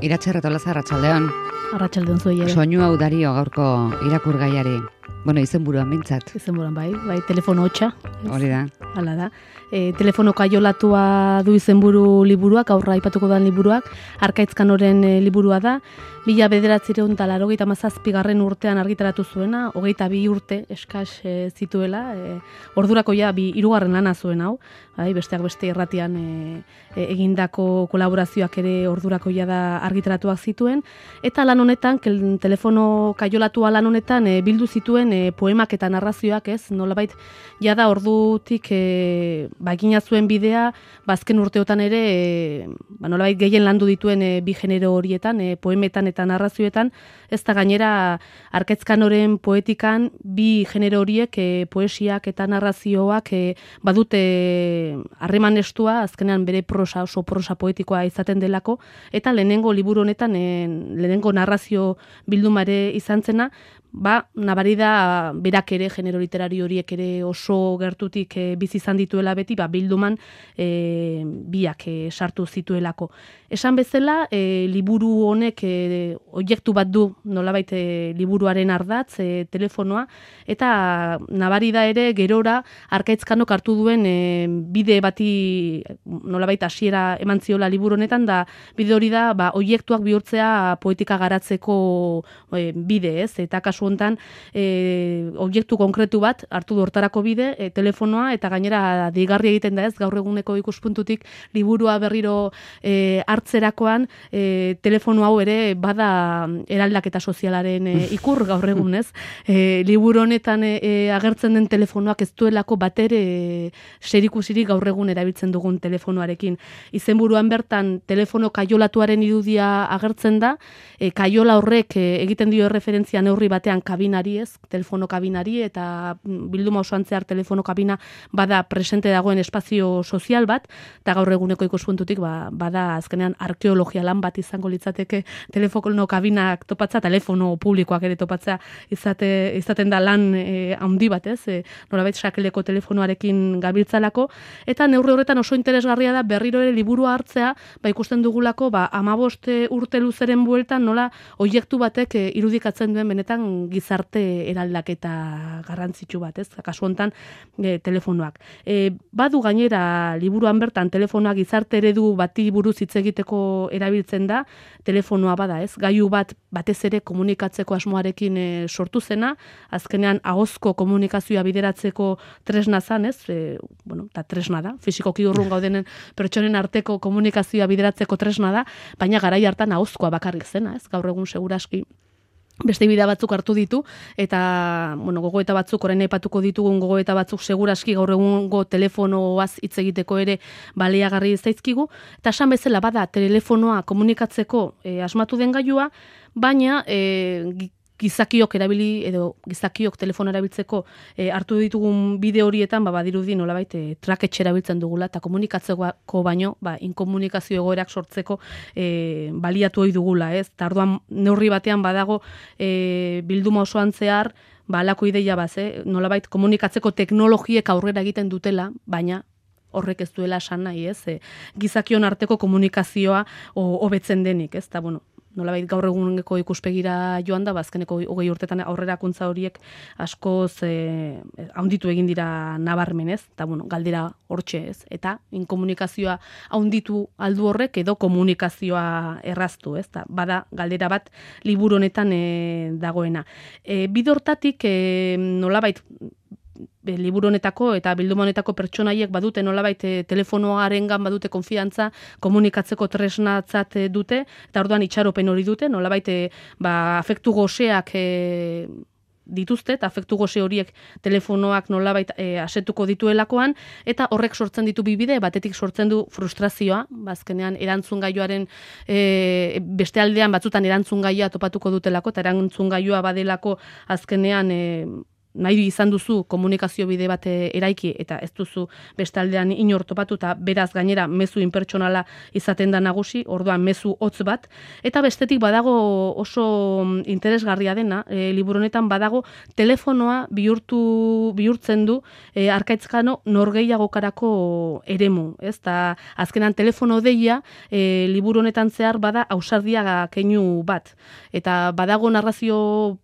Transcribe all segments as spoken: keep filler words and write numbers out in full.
Iratxe Retolaza, arratsaldeon. Arratsaldeon zuei ere. Soinu hau dario gaurko irakurgaiari. Bueno, izenburuan mintzat. Izenburuan bai, bai telefono hotxa. Hori da. Hala da. E, telefono kaiolatua du izenburu liburuak, aurra aipatuko dan liburuak, Arkaitzkanoren e, liburua da. Mila bederatziehun eta laurogeita hamazazpigarren urtean argitaratu zuena, hogeita bi urte eskas e, zituela, e, ordurako ja bi hirugarren lana zuen hau, bai, besteak beste irratian e, e, egindako kolaborazioak ere ordurako ja da argitaratuak zituen, eta lan honetan, kel, telefono kaiolatua lan honetan e, bildu zituen e, poemak eta narrazioak, ez, nolabait jada ordutik e, ba, egina zuen bidea, bazken urteotan ere e, ba, nolabait gehien landu dituen e, bi genero horietan, e, poemetan eta narrazioetan, ez da gainera Arkaitzkanoren poetikan bi genero horiek e, poesiak eta narrazioak e, badute harreman estua, azkenean bere prosa, oso prosa poetikoa izaten delako, eta lehenengo liburu honetan, e, lehenengo narrazio bildumare izan zena, ba, nabari da berak ere, genero literario horiek ere oso gertutik e, bizi izan dituela beti, ba, bilduman e, biak e, sartu zituelako. Esan bezala, e, liburu honek e, oiektu bat du, nolabait e, liburuaren ardatz, e, telefonoa, eta nabari da ere gerora Arkaitzkanok hartu duen e, bide bati nolabait hasiera eman ziola liburu honetan, da bide hori da ba, oiektuak bihurtzea poetika garatzeko e, bide, ez? Eta kasu hontan e, oiektu konkretu bat hartu du hortarako bide, e, telefonoa, eta gainera deigarri egiten da, ez, gaur eguneko ikuspuntutik liburua berriro e, hartzerakoan e, telefono hau ere bada eraldaketa sozialaren e, ikur gaur egun, ez? E, liburu honetan e, e, agertzen den telefonoak ez duelako batere e, serikusirik gaur egun erabiltzen dugun telefonoarekin. Izenburuan bertan telefono kaiolatuaren irudia agertzen da, e, kaiola horrek e, egiten dio referentzia neurri batean kabinari, ez, telefono kabinari, eta bilduma osoan zehar telefono kabina bada presente dagoen espazio sozial bat, eta gaur eguneko ikuspuntutik ba, bada azkenean arkeologia lan bat izango litzateke telefono kabinak topatza, telefono publikoak ere topatza izate, izaten da lan e, handi bat, ez, e, nolabait sakeleko telefonoarekin gabiltzalako, eta neurri horretan oso interesgarria da berriro ere liburua hartzea, ba ikusten dugulako, ba hamabost urte luzeren bueltan nola oiektu batek e, irudikatzen duen benetan gizarte eraldaketa garrantzitsu bat, ez? Kasu hontan e, telefonoak. E, badu gainera liburuan bertan telefonoak gizarte eredu bati buruz hitz egiteko erabiltzen da, telefonoa bada, ez? Gailu bat batez ere komunikatzeko asmoarekin e, sortu zena, azkenean ahozko komunikazioa bideratzeko tresna zan, ez? E, bueno, ta tresna da, fisikoki urrun gaudenen pertsonen arteko komunikazioa bideratzeko tresna da, baina garai hartan ahozkoa bakarrik zena, ez? Gaur egun seguraski beste bidea batzuk hartu ditu, eta bueno, gogoeta batzuk, orain aipatuko ditugun gogoeta batzuk seguraski gaur egungo telefonoaz hitz egiteko ere baliagarri zaizkigu, eta esan bezala bada telefonoa komunikatzeko e, asmatu den gailua, baina e, gizakiok erabili, edo gizakiok telefono erabiltzeko e, hartu ditugun bide horietan, ba, badirudi nolabait e, traketxe erabiltzen dugula, eta komunikatzeko baino, ba, inkomunikazio egoerak sortzeko e, baliatu ohi dugula, ez? Eta orduan neurri batean badago e, bilduma osoan zehar, ba, alako ideia baz, eh? Nolabait komunikatzeko teknologiek aurrera egiten dutela, baina horrek ez duela esan nahi, ez? E, gizakion arteko komunikazioa hobetzen denik, ez? Ta, bueno, nolabait gaur eguneko ikuspegira joan da, bazkeneko hogei urtetan aurrerakuntza horiek askoz e, haunditu egin dira nabarmen, ez? Eta, bueno, galdera hortxe, ez? Eta inkomunikazioa haunditu aldu horrek edo komunikazioa erraztu, ez? Ta, bada galdera bat liburu honetan e, dagoena. E, bide hortatik e, nolabait Be, liburu honetako eta bilduma honetako pertsonaiek badute nolabait e, telefonoarengan badute konfiantza, komunikatzeko tresnatzat e, dute, eta orduan itxaropen hori dute, nolabait e, ba, afektu goseak e, dituzte, eta afektu gose horiek telefonoak nolabait e, asetuko dituelakoan, eta horrek sortzen ditu bibide, batetik sortzen du frustrazioa, bazkenean erantzun gaioaren e, beste aldean batzutan erantzun gaioa topatuko dutelako, eta erantzun gaioa badelako azkenean e, nahi izan duzu komunikazio bide bat eraiki eta ez duzu bestaldean inor topatu eta beraz gainera mezu inpertsonala izaten da nagusi, orduan mezu hotz bat, eta bestetik badago oso interesgarria dena, e, liburu honetan badago telefonoa bihurtu bihurtzen du e, Arkaitzkano norgehiagokarako eremu, ez? Ta azkenan telefono deia e, liburu honetan zehar bada ausardia keinu bat, eta badago narrazio,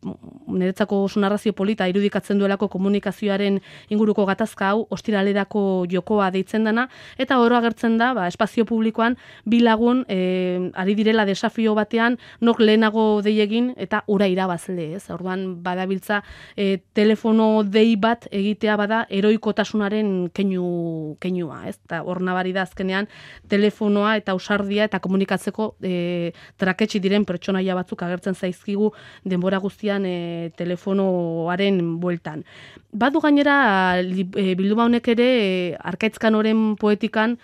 niretzako oso narrazio polita irudikatzen duelako komunikazioaren inguruko gatazka hau, ostiralerako jokoa deitzen dana, eta oro agertzen da, ba, espazio publikoan bi lagun e, ari direla desafio batean, nok lehenago dei egin eta ura irabazle, ez? Orduan badabiltza e, telefono dei bat egitea bada heroikotasunaren keinu keinua, ez? Ta hor nabari da azkenean telefonoa eta ausardia eta komunikatzeko e, traketsi diren pertsonaia batzuk agertzen zaizkigu denbora guztian e, telefonoaren bueltan. Badu gainera e, bilduma honek ere e, Arkaitzkanoren poetikan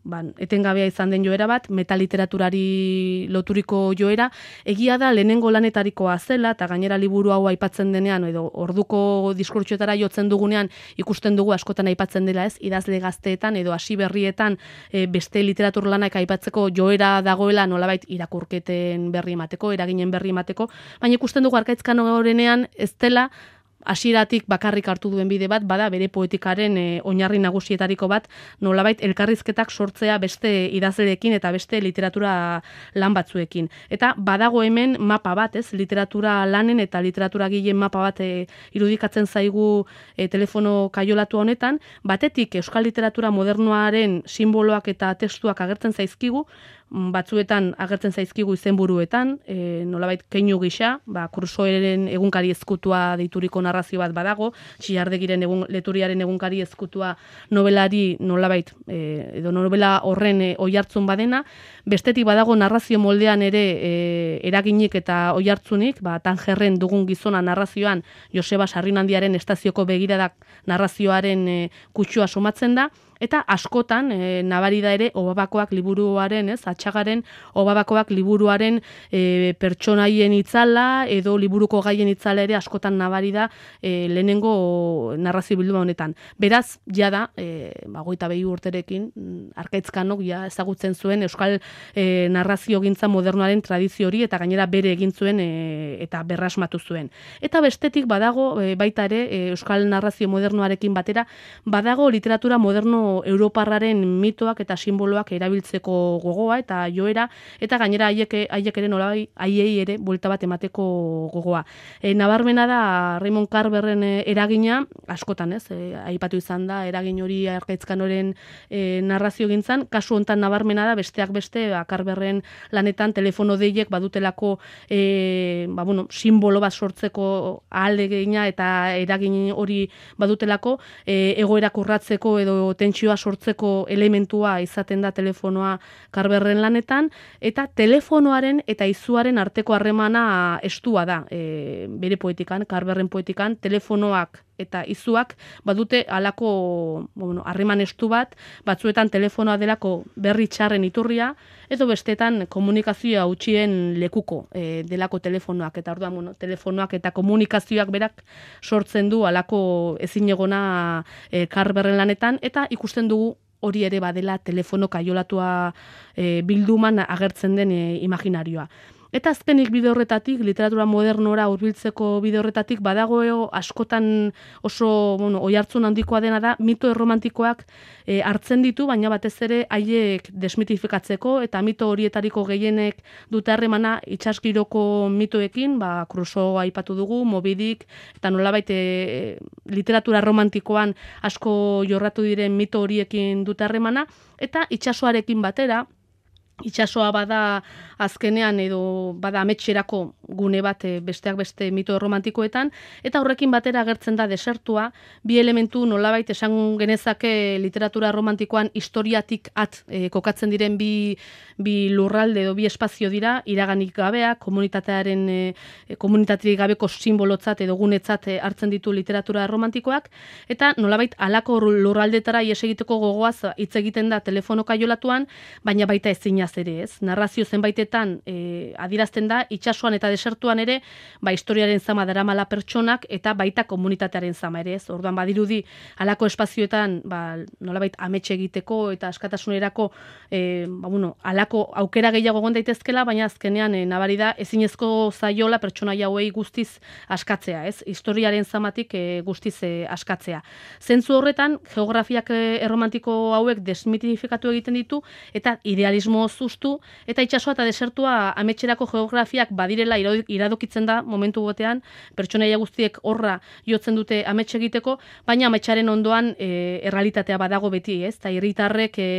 ban, etengabea izan den joera bat, metaliteraturari loturiko joera, egia da lehenengo lanetarikoa zela, eta gainera liburu hau aipatzen denean, edo orduko diskurtsoetara jotzen dugunean ikusten dugu askotan aipatzen dela, ez, idazle gazteetan edo hasi berrietan e, beste literatur lanak aipatzeko joera dagoela nolabait irakurketen berri emateko, eraginen berri emateko, baina ikusten dugu Arkaitzkanorenean ez dela hasieratik bakarrik hartu duen bide bat, bada bere poetikaren e, oinarri nagusietariko bat, nolabait elkarrizketak sortzea beste idazleekin eta beste literatura lan batzuekin. Eta badago hemen mapa bat, ez, literatura lanen eta literatura gileen mapa bat e, irudikatzen zaigu e, telefono kaiolatu honetan, batetik euskal literatura modernoaren simboloak eta testuak agertzen zaizkigu, batzuetan agertzen zaizkigu izenburuetan, e, nolabait keinu gisa, ba, Crusoeren egunkari ezkutua deituriko narrazio bat badago, Txillardegiren egun, leturiaren egunkari ezkutua novelari nolabait, e, edo novela horren e, oihartzun badena, bestetik badago narrazio moldean ere e, eraginik eta oihartzunik, ba, Tangerren dugun gizona narrazioan Joseba Sarrinandiaren estazioko begiradak narrazioaren e, kutsua somatzen da, eta askotan e, nabari da ere Obabakoak liburuaren, ez, Atxagaren Obabakoak liburuaren e, pertsonaien itzala edo liburuko gaien itzala ere askotan nabari da e, lehenengo narrazio bilduma honetan. Beraz, ja da, e, bagoita behi urterekin, Arkaitzkanok ja ezagutzen zuen euskal e, narrazio gintza modernoaren tradizio hori eta gainera bere egin zuen e, eta berrasmatu zuen. Eta bestetik badago e, baita ere e, euskal narrazio modernoarekin batera, badago literatura moderno europarraren mitoak eta simboloak erabiltzeko gogoa eta joera, eta gainera haiek haiek ere nolabai haiei ere buelta bat emateko gogoa. E, nabarmena da Raymond Carverren eragina, askotan, ez, e, aipatu izan da eragin hori Arkaitzkanoren e, narrazio gintzan, kasu hontan nabarmena da besteak beste ba, Carverren lanetan telefono deiek badutelako e, ba, bueno, simbolo bat sortzeko ahalegina eta eragin hori badutelako e, egoerak urratzeko edo tentsioa sortzeko elementua izaten da telefonoa Carverren lanetan, eta telefonoaren eta izuaren arteko harremana estua da e, bere poetikan, Carverren poetikan, telefonoak eta izuak badute halako bueno, harreman estu bat, batzuetan telefonoa delako berri txarren iturria, edo bestetan komunikazioa utxien lekuko e, delako telefonoak, eta orduan bueno, telefonoak eta komunikazioak berak sortzen du halako ezinegona e, Carverren lanetan, eta ikusten dugu hori ere badela telefono kaiolatua e, bilduman agertzen den e, imaginarioa. Eta azkenik bide horretatik, literatura modernora hurbiltzeko bide horretatik, badagoeo askotan oso bueno, oihartzun handikoa dena da, mito erromantikoak e, hartzen ditu, baina batez ere haiek desmitifikatzeko, eta mito horietariko gehienek dute harremana itsasgiroko mitoekin, ba, Crusoe aipatu dugu, Moby Dick, eta nolabait e, literatura romantikoan asko jorratu diren mito horiekin dute harremana, eta itsasoarekin batera, itsasoa bada azkenean edo bada ametxerako gune bat besteak beste mito romantikoetan, eta horrekin batera agertzen da desertua, bi elementu nolabait esan genezake literatura romantikoan historiatik at e, kokatzen diren bi, bi lurralde edo bi espazio dira, iraganik gabea, komunitatearen e, komunitaterik gabeko simbolotzat edo gunetzat e, hartzen ditu literatura romantikoak, eta nolabait halako lurraldetara ies egiteko gogoaz hitz egiten da telefono kaiolatuan, baina baita ezin zinaz ere, ez? Narrazio zenbaitetan e, adirazten da, itsasoan eta desertuan ere, ba, historiaren zama daramala pertsonak eta baita komunitatearen zama ere, ez? Orduan badirudi halako espazioetan, ba, nolabait amets egiteko eta askatasunerako e, ba, bueno, halako aukera gehiago egon daitezkela, baina azkenean e, nabari da ezinezko zaiola pertsona hauei guztiz askatzea, ez? Historiaren zamatik e, guztiz e, askatzea. Zentzu horretan, geografiak e, erromantiko hauek desmitifikatu egiten ditu eta idealismo zuztu eta itsasoa eta desertua ametxerako geografiak badirela iradokitzen da momentu botean, pertsonaia guztiek horra jotzen dute amets egiteko, baina ametsaren ondoan e, errealitatea badago beti, ez? Eta herritarrek e,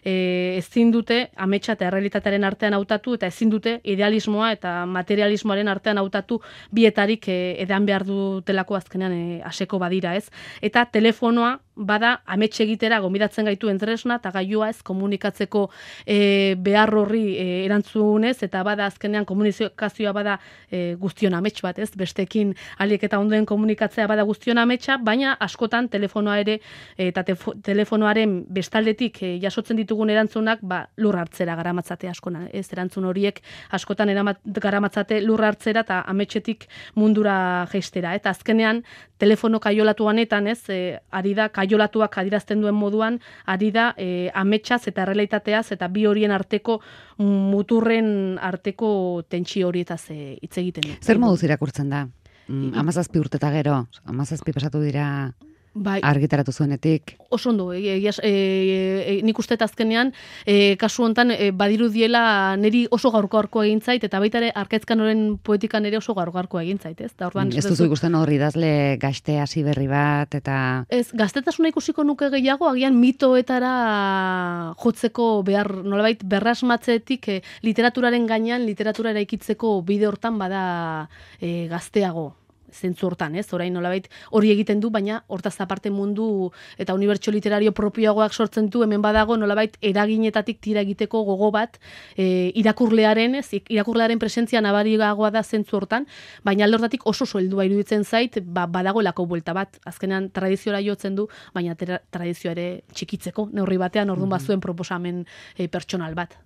e, ezin dute ametsa eta errealitatearen artean hautatu eta ezin dute idealismoa eta materialismoaren artean hautatu bietarik e, edan behar dutelako azkenean e, aseko badira, ez? Eta telefonoa bada amets egitera gonbidatzen gaitu entresna eta gailua ez komunikatzeko e, behar horri e, erantzunez eta bada azkenean komunikazioa bada e, guztion amets bat, ez? Bestekin aliek eta ondoen komunikatzea bada guztion ametsa, baina askotan telefonoa ere e, eta tefo, telefonoaren bestaldetik e, jasotzen ditugun erantzunak ba, lur hartzera garamatzate askona, ez? Erantzun horiek askotan eramat, garamatzate lur hartzera eta ametsetik mundura jeistera, eta azkenean telefono kaiolatu honetan, ez? E, ari da kaiolatuak adirazten duen moduan, ari da e, ametsaz eta errealitateaz eta bi horien arteko muturren arteko tentsio horietaz e, hitz egiten. Zer moduz irakurtzen da? Mm, amazazpi urte eta gero, amazazpi pasatu dira bai, argitaratu zuenetik. Oso ondo, e, e, e, e, nik uste azkenean, e, kasu hontan e, badirudiela niri oso gaurko-gaurko egin zait, eta baita ere Arkaizkan horren poetikan ere oso gaurko-gaurko egin zait, ez? Da, orduan, ez duzu ikusten hori idazle gazte hasi berri bat, eta... Ez, gaztetasuna ikusiko nuke gehiago, agian mitoetara jotzeko behar, nolabait, berrasmatzetik e, literaturaren gainean, literatura eraikitzeko bide hortan bada e, gazteago. Zentzu hortan, ez? Orain nolabait hori egiten du, baina hortaz aparte mundu eta unibertsio literario propioagoak sortzen du, hemen badago nolabait eraginetatik tira egiteko gogo bat e, irakurlearen, ez? Irakurlearen presentzia nabariagoa da zentzu hortan, baina alde hortatik oso heldua iruditzen zait, ba, badagoelako buelta bat. Azkenean tradiziora jotzen du, baina tradizioa ere txikitzeko, neurri batean orduan bazuen proposamen e, pertsonal bat.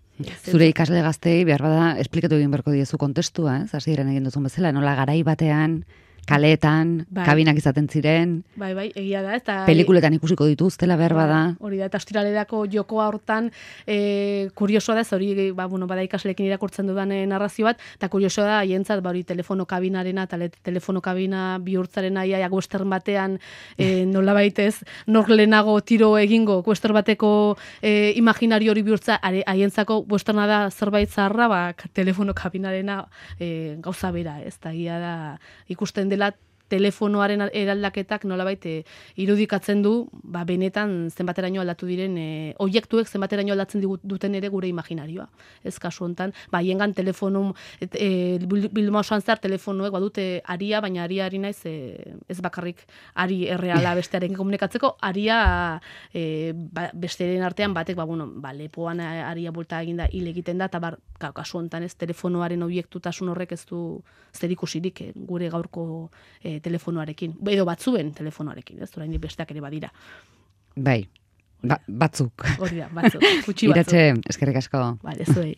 Zure ikasle gaztei behar bada esplikatu egin beharko diezu kontestua, ez? Hasieran egin duzun bezala, nola garai batean kaleetan, bai, kabinak izaten ziren. Bai, bai, egia da. Eta, pelikuletan ikusiko dituztela behar bada. Hori da, eta ostiralerako jokoa hortan e, kuriosoa da, hori ba, bueno, bada ikasleekin irakurtzen dudan e, narrazio bat, eta kuriosoa da, haientzat, ba, hori telefono kabinarena, eta telefono kabina bihurtzaren aia, western batean, e, nola baitez, nor lehenago tiro egingo, western bateko e, imaginario hori bihurtza, haientzako westerna da zerbait zaharra, ba, telefono kabinarena e, gauza bera, ez da, egia da, ikusten dela telefonoaren eraldaketak nolabait e, irudikatzen du, ba, benetan zenbateraino aldatu diren e, oiektuek zenbateraino aldatzen duten ere gure imaginarioa. Ez kasu hontan, ba, hiengan telefonum, e, bilduma osoan zehar telefonoek badute aria, baina aria ari naiz e, ez bakarrik ari erreala bestearen komunikatzeko, aria e, ba, besteren artean batek, ba, bueno, ba, lepoan aria bulta eginda hil egiten da, eta bar, kasu hontan ez telefonoaren oiektutasun horrek ez du zerikusirik e, gure gaurko e, telefonoarekin, edo batzuen telefonoarekin, ez, orain besteak ere badira. Bai, ba, batzuk. Hori da, batzuk, gutxi batzuk. Iratxe, eskerrik asko. Vale, zuei.